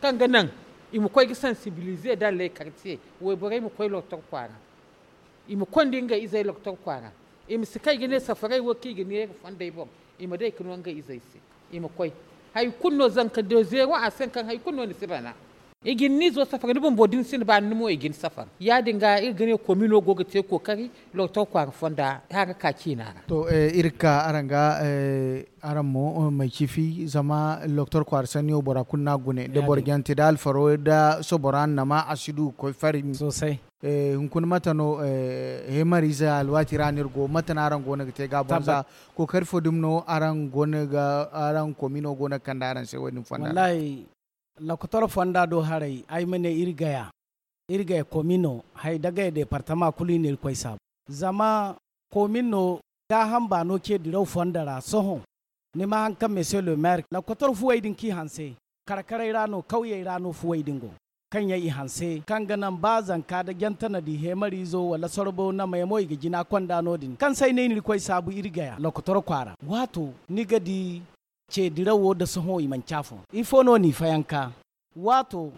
kaŋ ga naŋ i ma koy ga sansibilize daŋ ley kartiye. Wayborey ma koy lokotor kwaara. I ma konda ngey izey lokotor kwaara. I ma si kay ga ne safarey wo kaŋ i ga neera fondey boŋ i ma day ga no ngey izey se. I ma koy hari kulu no zanka de zeero a se kaŋ hari kulu no ni si bana. I ga ni nizo safar ni bumbo da ni sinda baani ni mo i ga ni safar ya- din ga iri ga ne komino go ga te kookari. Lokotor kwaara fonda hara ka ciina ra. To iri ga ka araŋ ga araŋ mo may ciifi zama lokotor kwaara sanniyo bora kulu no a gune da boro jante da alfaro da sobora annama a si du ga koy fari. Hunkuna mate no heemariize alwaati ra no iri go mate no araŋ go no ga te ga a boŋ za? Kookari fo dumi no araŋ go no ga araŋ komino go no ga kande araŋ se wo- din fonda ra? Lokotor fonda do haray ay ma ne iri gaya iri gaya komino hay da gaya departama kulu i na iri koy saabu. Zama komino gaaham baano ce diraw fondo ra sohõ. Ni ma haŋ kaŋ monsieur le maire lokotor fuwey din k'i hanse. Karkaray ra no kawyey ra no fuwey din go, kaŋ yaŋ i hanse kaŋ ga naŋ ba zanka da jantanadi heemariizo wala sorbo namey mo i ga jina konda no- din kaŋ se ay ne ni irkoy saabu iri gaya lokotor kwaara waato ni ga di. Ce dirawo da sohõ i manci afo ifo no n'i fayanka? Waato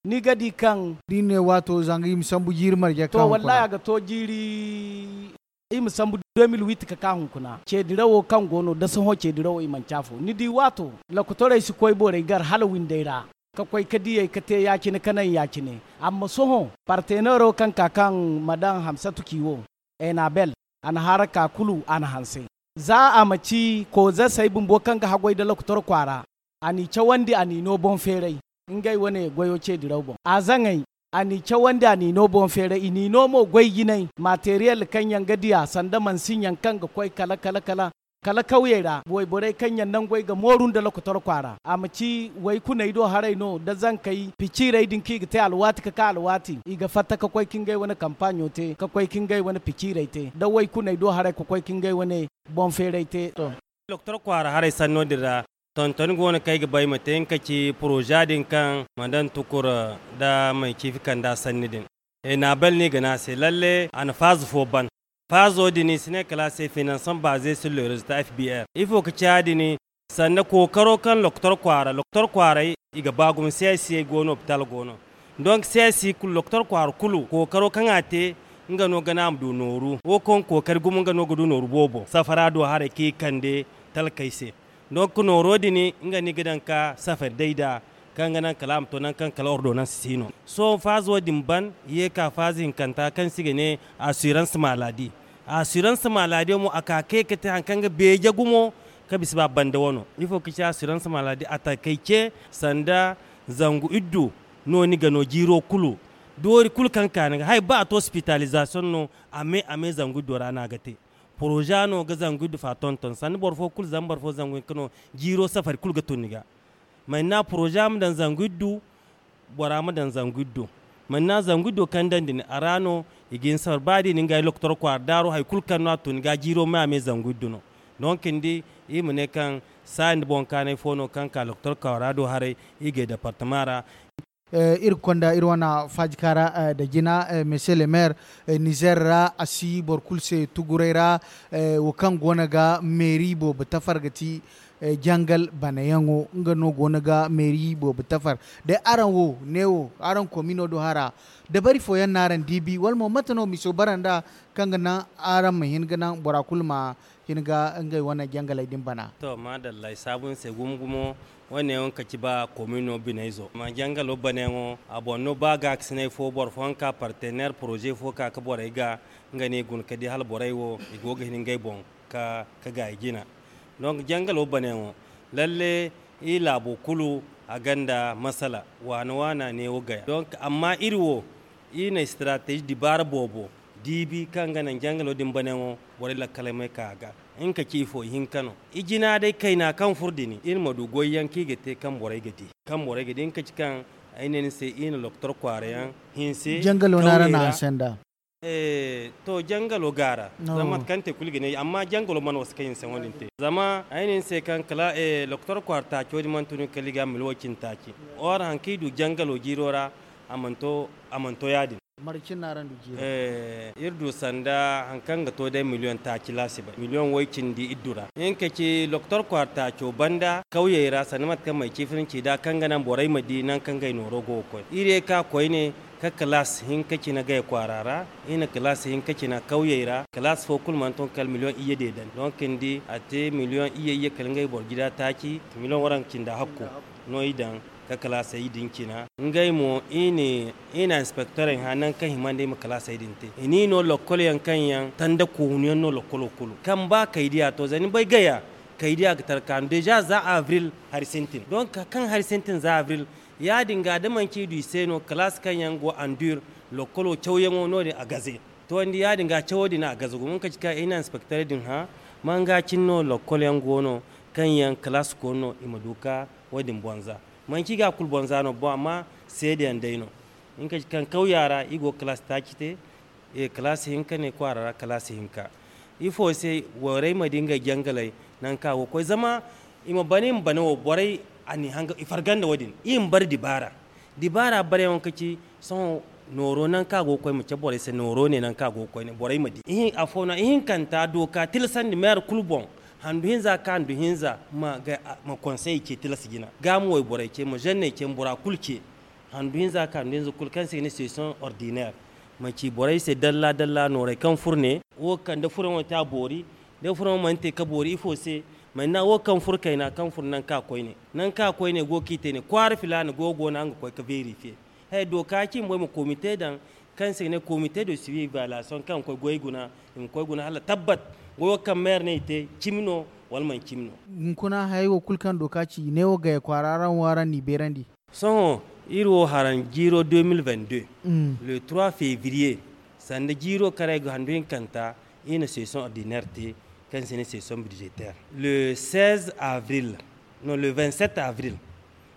ni ga di kaŋ da i ne waato zanga i ma sambu jiiri marje to wallahi a ga to jiiri. I ma sambu deux mille huit ka ka hunkuna ce dirawo kaŋ go no da sohõ ce dirawo i manci afo ni di waato. Lokotorey si koy borey gar hala windey ra ka koy ka diyey ka te ya-cine ka naŋ ya-cine. Amma sohõ partenero kaŋ ka kaŋ ma daŋ hamsatu ci wo enabel a na haara ka kulu a na hanse. Za a ma ci koozasey bumbo kaŋ ga haggoy da lokotor kwaara a n'i cawandi a n'i no boŋ feeray. Ngey wane goyo ce diraw boŋ a zaŋay a n'i cawandi a n'i no boŋ feeray i n'i no mo goy jinay materiyel kaŋ yaŋ ga diya sanda mansin yaŋ kaŋ ga koy kala kala kala kala kawyey ra wayborey kaŋ yaŋ nangu ay ga mooru nda lokotor kwaara a ma ci waykuney do haray no da zankey piciirey din kaŋ i ga te alwaati ka ka alwaati i ga fatta ka koy ka ngey wane kampaɲo te ka koy ka ngey wane piciirey te da waykuney do haray ka koy ka ngey wane boŋ feeray te. Doktor kwaara haray sanno din ra tonton go no kaŋ ay ga ba ay ma te nga ka ci poroza din kaŋ ma daŋ tukur da may ciifi kanda sanni din. Enabel no i ga ne a se lalle a na faaza fo ban. Faazo din i si ne kala a se financement basé sur le résultat F B R ifo ka ci ya- din? Sanda kookaro kaŋ lokotor kwaara lokotor kwaaray i ga ba gumo C I C go no hopital go no. Donc C I C kulu lokotor kwaara kulu kookaro kaŋ a te nga no ga ne a ma du nooru wo kaŋ kookari gumo nga no ga du nooru boobo safara do haray kaŋ i kande talkey se. Donc nooro din nga no i ga daŋ ka safari day nd'a kaŋ ga naŋ kala a ma to nangu kaŋ kala ordonanse si no. Sohõ faazo din ban i ye ka faaza hinkanta kaŋ se i ga ne assurance maladi. Assurance maladi mo a ka kay ka te hari kaŋ ga beeje gumo ka bisa ba banda wano ifo ka ci assurance maladi a takey ce sanda zangu iddu no ni ga no jiiro kulu. Doori kulu kaŋ ka ni ga hay ba a to hospitalisation no a me a me zangu iddo ra no a ga te. Poroza no ga zangu iddu fa tonton sanda boro fo kulu zama boro fo zangu hinka no jiiro safari kulu ga tun ni ga. Manna poroza ma daŋ zangu iddu bora ma daŋ zangu iddu. Manna zangu iddu kaŋ daŋ din a ra no i ga hin safari ba da i na ngey lokotor kwaara daaro hari kulu kaŋ no a tun ni ga jiiro me a me zangu iddu no. Donc ni di i ma ne kaŋ saaya nda boŋ kaanay fo no kaŋ ka lokotor kwaara do haray i ga departement ra. Iri ga konda iri wane faajika ra nda jina monsieur le maire. Nizer ra a si boro kulu se tuguray ra wo kaŋ go no ga meeri boobo tafar ga ti jangal banayaŋo nga no go no ga meeri boobo tafar. Day araŋ wo neewo araŋ komino do hara dabari fooyaŋ no araŋ diibi wala mo mate no miso bara nd'a kaŋ ga naŋ araŋ ma hin ga naŋ bora kulu ma hin ga ngey wane jangaley din bana. To maadalla ay saabu ni se gumo gumo. Wo- ne wo nga ka ci ba komino binayzo amma jangalo banayaŋo a boŋ no ba gaakasinay fo boro fooyaŋ ka partener poroze fo ka ka borey ga nga no i guna ka di hala borey wo i go ga hin ngey boŋ ka gaay jina. Donc jangalo banayaŋo lalle i laabo kulu a gonda masala waana waana neewo gaya donc amma iri wo i na strateji dibaara boobo diibi kaŋ ga naŋ jangalo din banayaŋo borey lakkaley ma ay ka a ga. Nga ka ci ifo ihinka no i jina day kayna kaŋ furo din iri ma du goyyaŋ kaŋ i ga te kaŋ borey ga di kaŋ borey ga di nga ka ci kaŋ ay ne ni se i na lokotor kwaara yaŋ hinse jangalo no araŋ na hanse nda. To jangalo gaara zama mate kaŋ te kulu ga ne amma jangalo mana wasa kaŋ hinse wo- din te zama ay ne ni se kaŋ kala lokotor kwaara taaco din mana tun kala i ga mili wo cindi taaci or hari kaŋ i du jangalo jiiro ra a mana to ya- din. Iri du sanda hari kaŋ ga to day miliyoŋ taaci laasibay miliyoŋ way cindi iddu ra nga ka ci lokotor kwaara taaco banda kawyey ra sanda mate kaŋ may ciifirinci nd'a kaŋ ga naŋ borey ma di nangu kaŋ ngey nooro go ga koy iri ye ka koyne ka kalaasi hinka cina gay kwaara ra. Iri na kalaasi hinka cina kawyey ra kalaasi fo kulu mana to kala miliyoŋ iyye deedandi donk ni di a te miliyoŋ iyye iyye kala ngey boro jida taaci miliyoŋ waranka cinda hakku no i daŋ ka kalaasey din cina ngey mo i na inspektorey hã nangu kaŋ hima nda i ma kalaasey din te i n'i no lokkol yaŋ kaŋ yaŋ tanda koonu yaŋ no lokkolo kulu kaŋ ba kaydiya to za ni bay gaya kaydiya ga tarka no deja za avril hari sintin donk kaŋ hari sintin za avril ya- din ga da manci i du i se no kalaasi kaŋ yaŋ go andur lokkolo cawyaŋo no- din a gaze. To ni di ya- din ga cawo din a gaze gumo nga ka ci kaŋ i na inspektorey din hã manga cine no lokkol yaŋ go no kaŋ yaŋ kalaasi koonu no i ma du ka wo- din bonza manci i ga a kulu bonza no boŋ amma seedeyaŋ day no. Nga ka ci kaŋ kawya ra i go ga kalaasi taaci te kalaasi hinka ne kwaara ra kalaasi hinka. Ifo se borey ma di ngey jangaley nangu kaŋ a go ga koy? Zama i ma bana, i ma bana wo, borey, a n'i hanga, i farga nda wo-din. I ma bare dibaara. Dibaara bareyaŋo ka ci, sohõ nooro nangu kaŋ a go ga koy, ma cabe borey se, nooro ne nangu kaŋ a go ga koy ne, borey ma di. Ihin-, afo no, ihinkanta, dooka tilasandi meera kulu boŋ, handu hinza ka handu hinza ma ga, ma konsey ce tilas jina. Ga ma wayborey ce, ma zenney ce, ma bora kulu ce. Handu hinza ka handu hinza kulu kaŋ se i ga ne session ordinaire. Ma ci borey se dalla-dalla noorey kaŋ furo ne. Wo kaŋ da furo yaŋo te a boori, da furo yaŋo mana te ka boori, ifo se? Mana wo kaŋ furo kayna, kaŋ furo nangu kaŋ a koyne. Nangu kaŋ a koyne go ga i te ne, kwaara filaana go, go no araŋ ga koy ka vérifier. Hay, dooka ci i ma boŋ, i ma comité daŋ, kaŋ se i ga ne comité de suivi évaluation, kaŋ ga koy goy guna, i ma koy guna hala tabbat goyo kaŋ maire ne i te, cimi no wala manti cimi no. Hunkuna hayey wo kulu kaŋ dooka ci, i ne wo gaya kwaara ra wo araŋ n'i beerandi. Sohõ, iri wo haraŋ jiiro deux mille vingt-deux, le trois février, sanda jiiro kaŋ ra ay ga handu hinkanta, iri na session ordinaire te, kaŋ se i ne session budgétaire. Le seize avril, non, le vingt-sept avril,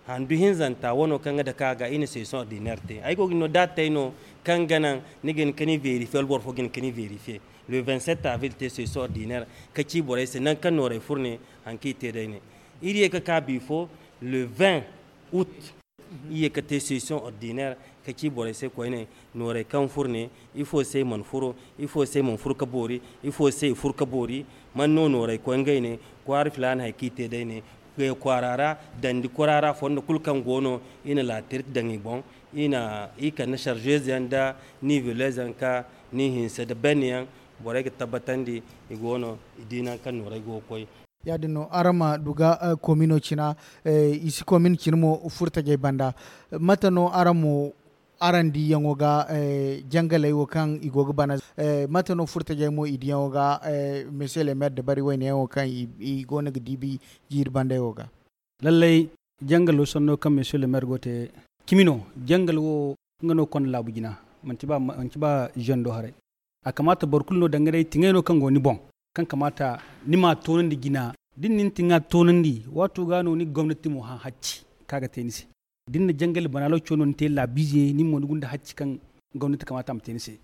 handu hinzanta wano kaŋ ga dake a ga, iri na session ordinaire te. Ay go ga ni no datey no kaŋ ga naŋ ni ga hin ka ni vérifier, wala boro fo ga hin ka ni vérifier. Le vingt-sept avril te session ordinaire, ka ci borey se nangu kaŋ noorey furo ne, haŋ kaŋ i te day ne. Iri ye ka ka bifo, le vingt août, iri ye ka te session ordinaire, ka ci borey se koyne, noorey kaŋ furo ne, ifo se i mana furo, ifo se i mana furo ka boori, ifo se i furo ka boori, man no noorey koy ngey ne, kwaara filaana hay kaŋ i te day ne, gaya kwaara ra, dandi kwaara ra, fondo kulu kaŋ go no, i na laatirti daŋ i boŋ, i na, i kande chargeuse yaŋ nda niveleuse yaŋ ka ni hinse nda benne yaŋ, borey ga tabbatandi i go no, i di nangu kaŋ noorey go ga koy. Yaadin no, araŋ ma du ga, eh, komino cina, eh, i si komin cina mo furtajey banda. Mate no araŋ mo, araŋ diyaŋo ga, eh, jangaley wo kaŋ i go ga bana, eh, mate no furtajey mo i diyaŋo ga, eh, monsieur le maire dabari wayne yaŋo kaŋ i, i go no ga diibi jiiri bandey wo ga? Lallay, jangalo sanno kaŋ monsieur le maire go te, cimi no, jangal wo, nga no konda laabu jina, manti ba, manti ba zando haray. A kamaata boro kulu no danga day tiŋay no kaŋ go ni boŋ, kaŋ kamaata ni ma toonandi jina. Da ni na ni tiŋa toonandi, waato ga no ni gomnati mo hã hacci kaŋ a ga te ni se. Da ni na jangali bana lokaco no ni te laabiize, nin mo ni gunda hacci kaŋ gomnati kamaata a ma te ni se.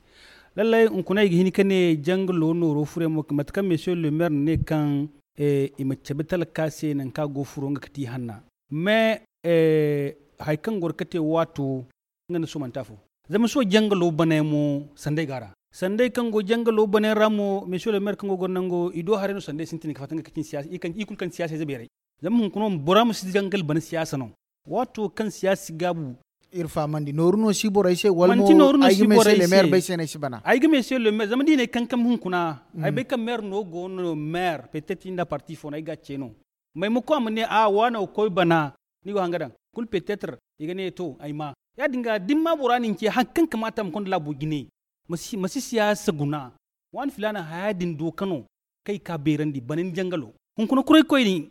Lallay, hunkuna ay ga hin ka ne jangalo nooro furey mo, mate kaŋ monsieur le maire ne kaŋ, eh, i ma cabe talka se nangu kaŋ a go furo nga ga ti hanna. Mais, eh, hari kaŋ goro ka te waato, nga nda sohõ manti afo. Zama sohõ jangalo banayaŋ mo sanday go a ra. Sanday kaŋ go jangalo banayaŋ ra mo, monsieur le maire kaŋ go goro nango, i do haray no sanday sintin ga fatta nga ga cin siyaasa, i kaŋ, i kulu kaŋ ti siyaasa ize beeray. Zama hunkuna bora ma si jangal bana siyaasa no. Waato kaŋ siyaasa si gaabu. Iri fahamandi, nooru no si borey se, wala mo ay ga monsieur le maire bay se no ay si bana? Ay ga monsieur le maire, zama da i ne kankam hunkuna, ay bay kaŋ maire no go no, maire, peut-être i nda parti fo no ay ga ce no. Maymako a ma ne, a, waano ga koy bana, ni go hanga daŋ. Kulu peut-être i ga ne, to, ay ma. Yaadin ga, da ni ma bora nin ce, haŋ kaŋ kamaata a ma konda laabo jine. Ma si, ma si siyaasa guna. Waani filaana haya din do ka no, kaŋ i ka beerandi, bana ni jangalo. Hunkuna kuray koyne,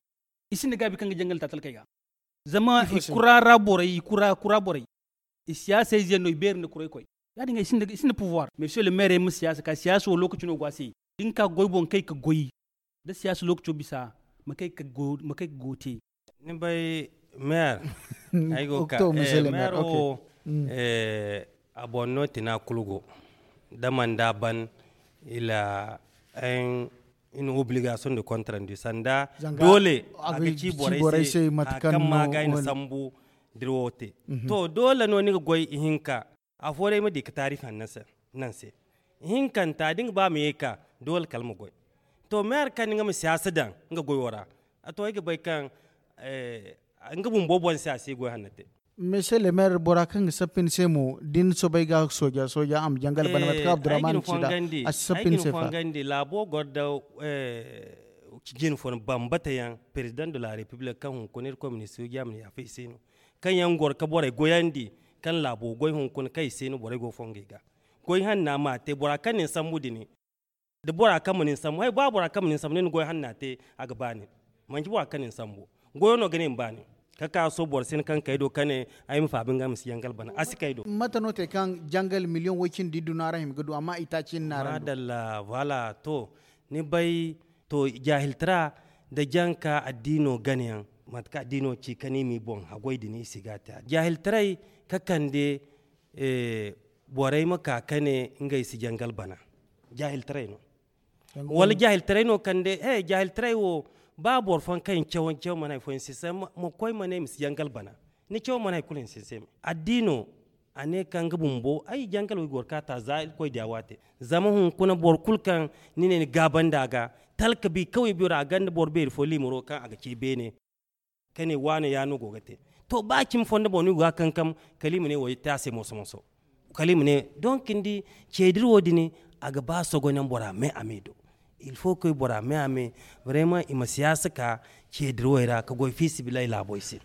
i sinda gaabi kaŋ ga jangal ta talkey ga. Zama i kura ra borey, i kura, kura borey. I siyaasa ize no, i beeri nda kuray koy. Yaadin ga, i sinda, i sinda pouvoir. Monsieur le maire ma siyaasa ka, siyaasa wo lokaci no go a se. Da ni ka goy boŋ kay ka goy. Da siyaasa lokaco bisa, ma kay ka go, ma kay ka go te. Ni bay maire, ay go ka, eh, maire wo, eh, a boŋ no tina kulu go. Da man da ban, il a un, une obligation de compte rendu. Sanda doole a ga ci borey se, a kaŋ ma ga i na sambu dira wo te. To, doole no ni ga goy ihinka. Afo day ma di ka taarifi hanno se, naŋ se. Ihinkanta, da nga ba ma ye ka, doole kala ma goy. To, maire kaŋ nga ma siyaasa daŋ nga goyo ra, a to, ay ga bay kaŋ, eh, nga bumbo boŋ se a si goy hanno te. Monsieur le maire, bora kaŋ ga sappa ni se mo, da ni soobay ga sooja, sooja a ma jangal bana, mate kaŋ Abdurrahman ci nd'a, a si sappa ni se fa. Laabo goro da, eh, jine fo bambata yaŋ, président de la république kaŋ hunkuna Irkoy ma ni sooja ma ni yaafa i se no. Kaŋ yaŋ goro ka borey goyandi, kaŋ laabo goy hunkuna kaŋ i se no borey go fongey ga. Goy hanna ma a te, bora kaŋ na ni sambu din, da bora kaŋ ma ni sambu, hay, ba bora kaŋ ma ni sambu, ni na goy hanna te, a ga ba nin. Manti bora kaŋ na ni sambu. Goyo no ga ne ma ba nin. Ka ka sohõ boro si hin kaŋ kay do ka ne, ay ma faabi nga ma si yangal bana. A si kay do. Mate no te kaŋ jangal miliyoŋ way cindi iddu no araŋ hima ga du, amma itaaci hinne no araŋ du? Madalla, voilà, to, ni bay, to, jaahiltara nda janka addiino ganayaŋ, mate kaŋ addiino ci ka ne i m'i boŋ haggoy din, i si ga a te. Jaahiltaray ka kande, eh, borey ma ka ka ne ngey si jangal bana. Jaahiltaray no. Wala jaahiltaray no kande he jaahiltaray wo. Ba boro fooyaŋ kaŋ i na caw caw mana hari fooyaŋ sinse ma koy ma ne i ma si jangal bana. Ni caw mana hari kulu ni sinse me addiino. A ne kaŋ ga bumbo ay jangal wo i goro ka ta za irkoy diya waate. Zama hunkuna boro kulu kaŋ ni ne ni gaabandi a ga talka bi kawai biyo ra a ganda boro beeri fo liimaro kaŋ a ga ce beene. Ka ne waano ya no go ga te. To ba cimi fondo boŋ no i go ga kankam kala i ma ne wo te a se moso moso. Kala i ma ne donk ni di ceediri wo- din a ga ba sogonaŋ bora me a me do. Il faut koy bora me a me. Vraiment i ma siyaasa ka ceediri wo ra ka goy fiisibilay laabo i se.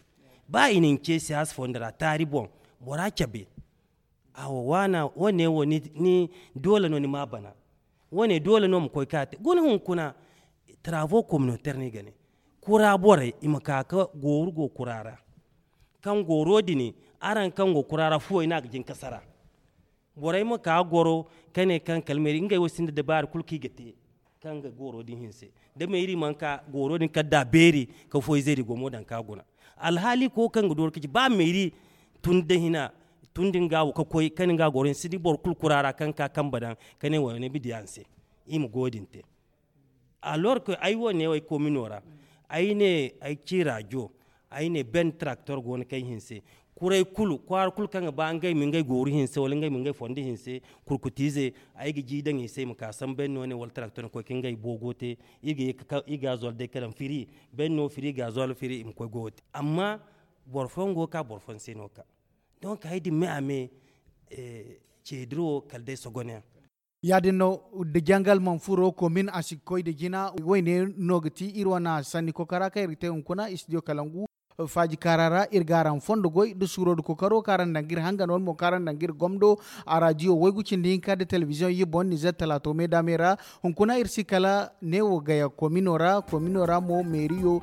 Ba i na ni ce siyaasa fondo ra taari boŋ bora cabe. Awo waana wo- ne wo ni doole no ni ma bana. Wo- ne doole no ma koy ka te guna hunkuna. Travaux communautaire no i ga ne kura borey i ma ka ka gooru go kura ra. Kaŋ gooro din araŋ kaŋ go kura ra fuwey no a ga jin ka sara. Borey ma ka goro ka ne kaŋ kala meeri ngey wo sinda dabaari kulu kaŋ i ga te. Kaŋ ga gooro din hinse da meeri mana ka gooro din kala da a beeri ka foy zeeri go mo daŋ ka guna. Alhaali ko kaŋ ga dooru ka ci ba meeri tun da hina tun din ga wo ka koy kaŋ nga gooro hinse da boro kulu kura ra kaŋ ka kambe daŋ ka ne wo ne bidiya ni se. I ma go din te. Alors que ay wo ne wo ay komino ra ay ne ay ci rajo. Ay ne ben tracteur go no kaŋ ay hinse kuray kulu kwaara kulu kaŋ ga ba ngey ma ngey gooru hinse wala ngey ma ngey fondo hinse. Kurkutiize ay ga ji daŋ i se i ma ka sambu ben no ne wala tracteur koy ka ngey boogo te. I ga zol day ka daŋ firi ben no firi ga zol firi i ma koy goyo te amma boro fooyaŋ go ga ka boro fooyaŋ se no ga ka. Donc hari din me a me ceediro kala day sogonayaŋ. Ya- din no da jangal mana furo komin a si ga koy nda jina. Wo- ne no ga ti iri wane sanni kokora kaŋ iri ga te hunkuna studio kalangu. Faaji kaara ra iri ga araŋ fondo goy nda suuro nda kokoro kaŋ araŋ daŋ ga iri hangan wala mo kaŋ araŋ daŋ ga iri gomdo. Araadiyo waygu cindi hinka nda telebiziyoŋ iri boŋ nizer talaato me daame ra. Hunkuna iri si kala neewo gaya komino ra komino ra mo meeriyo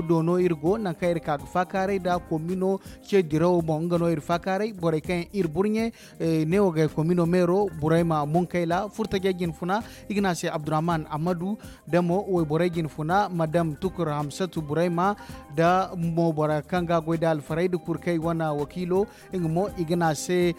do no iri go nangu kaŋ iri ka ga faakaaray nda komino ce dirawo boŋ nga no iri faakaaray borey kaŋ yaŋ iri burɲe. Neewo gay komino meero burayma munkayla furtajey jinfuna i ga ne a se abdurrahman ammadu, da mo wayborey jinfuna madam tukur hamsatu burayma, da mo bora kaŋ ga goy da alfarayda kurkay wane wakiilo. Nga mo i ga ne a se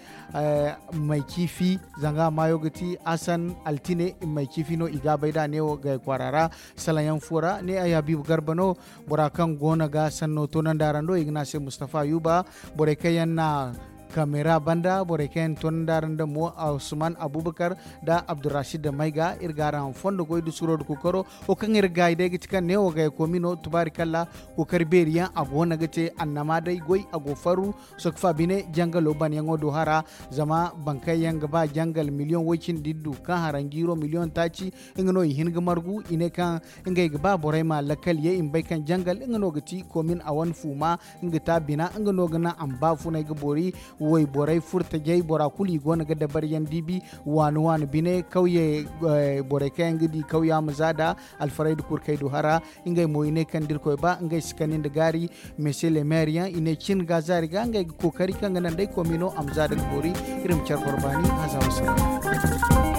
may ciifi zanga maayo ga ti hasan altine may ciifi no i ga bay da neewo gay kwaara ra. Salaŋ yaŋ fo ra ne ay habiibu garba no. Bora kaŋ go no ga sanno toonandi araŋ do i ga ne a se mustafa yuba. Borey kaŋ yaŋ na kamera banda borey kaŋ yaŋ toonandi araŋ da mo usman abubakar nda abdurrashid da mayga iri ga araŋ fondo goy nda suro nda kookaro. Wo kaŋ iri ga gaayi day ga ti kaŋ neewo gay koomino tubaari kalla kookari beeri yaŋ a go no ga te annama day goy a go farru. Sokfa bine jangalo banyaŋo do hara zama bankay yaŋ ga ba jangal miliyoŋ woy cindi du kaŋ hara njiiro miliyoŋ taaci. Nga no i hin ga margu i ne kaŋ ngey ga ba borey ma lakkal ye i ma bay kaŋ jangal nga no ga ti komin a wane fuuma. Nga ta bina nga no ga naŋ a ma ba funay ga boori. Wayborey furtajey bora kulu i go no ga dabaryaŋ diibi waani waani bine kawye. Borey kaŋ yaŋ ga di kawya ma za da alfarayda kurkey du hara. Ngey mo i ne kaŋ da irkoy ba ngey si kani nda gaari. Mese le maire yaŋ i ne cin ga zaari ga ngey ga kookari kaŋ ga naŋ day komi no a ma za da ga boori. Iri ma care boro baani haza wasalam.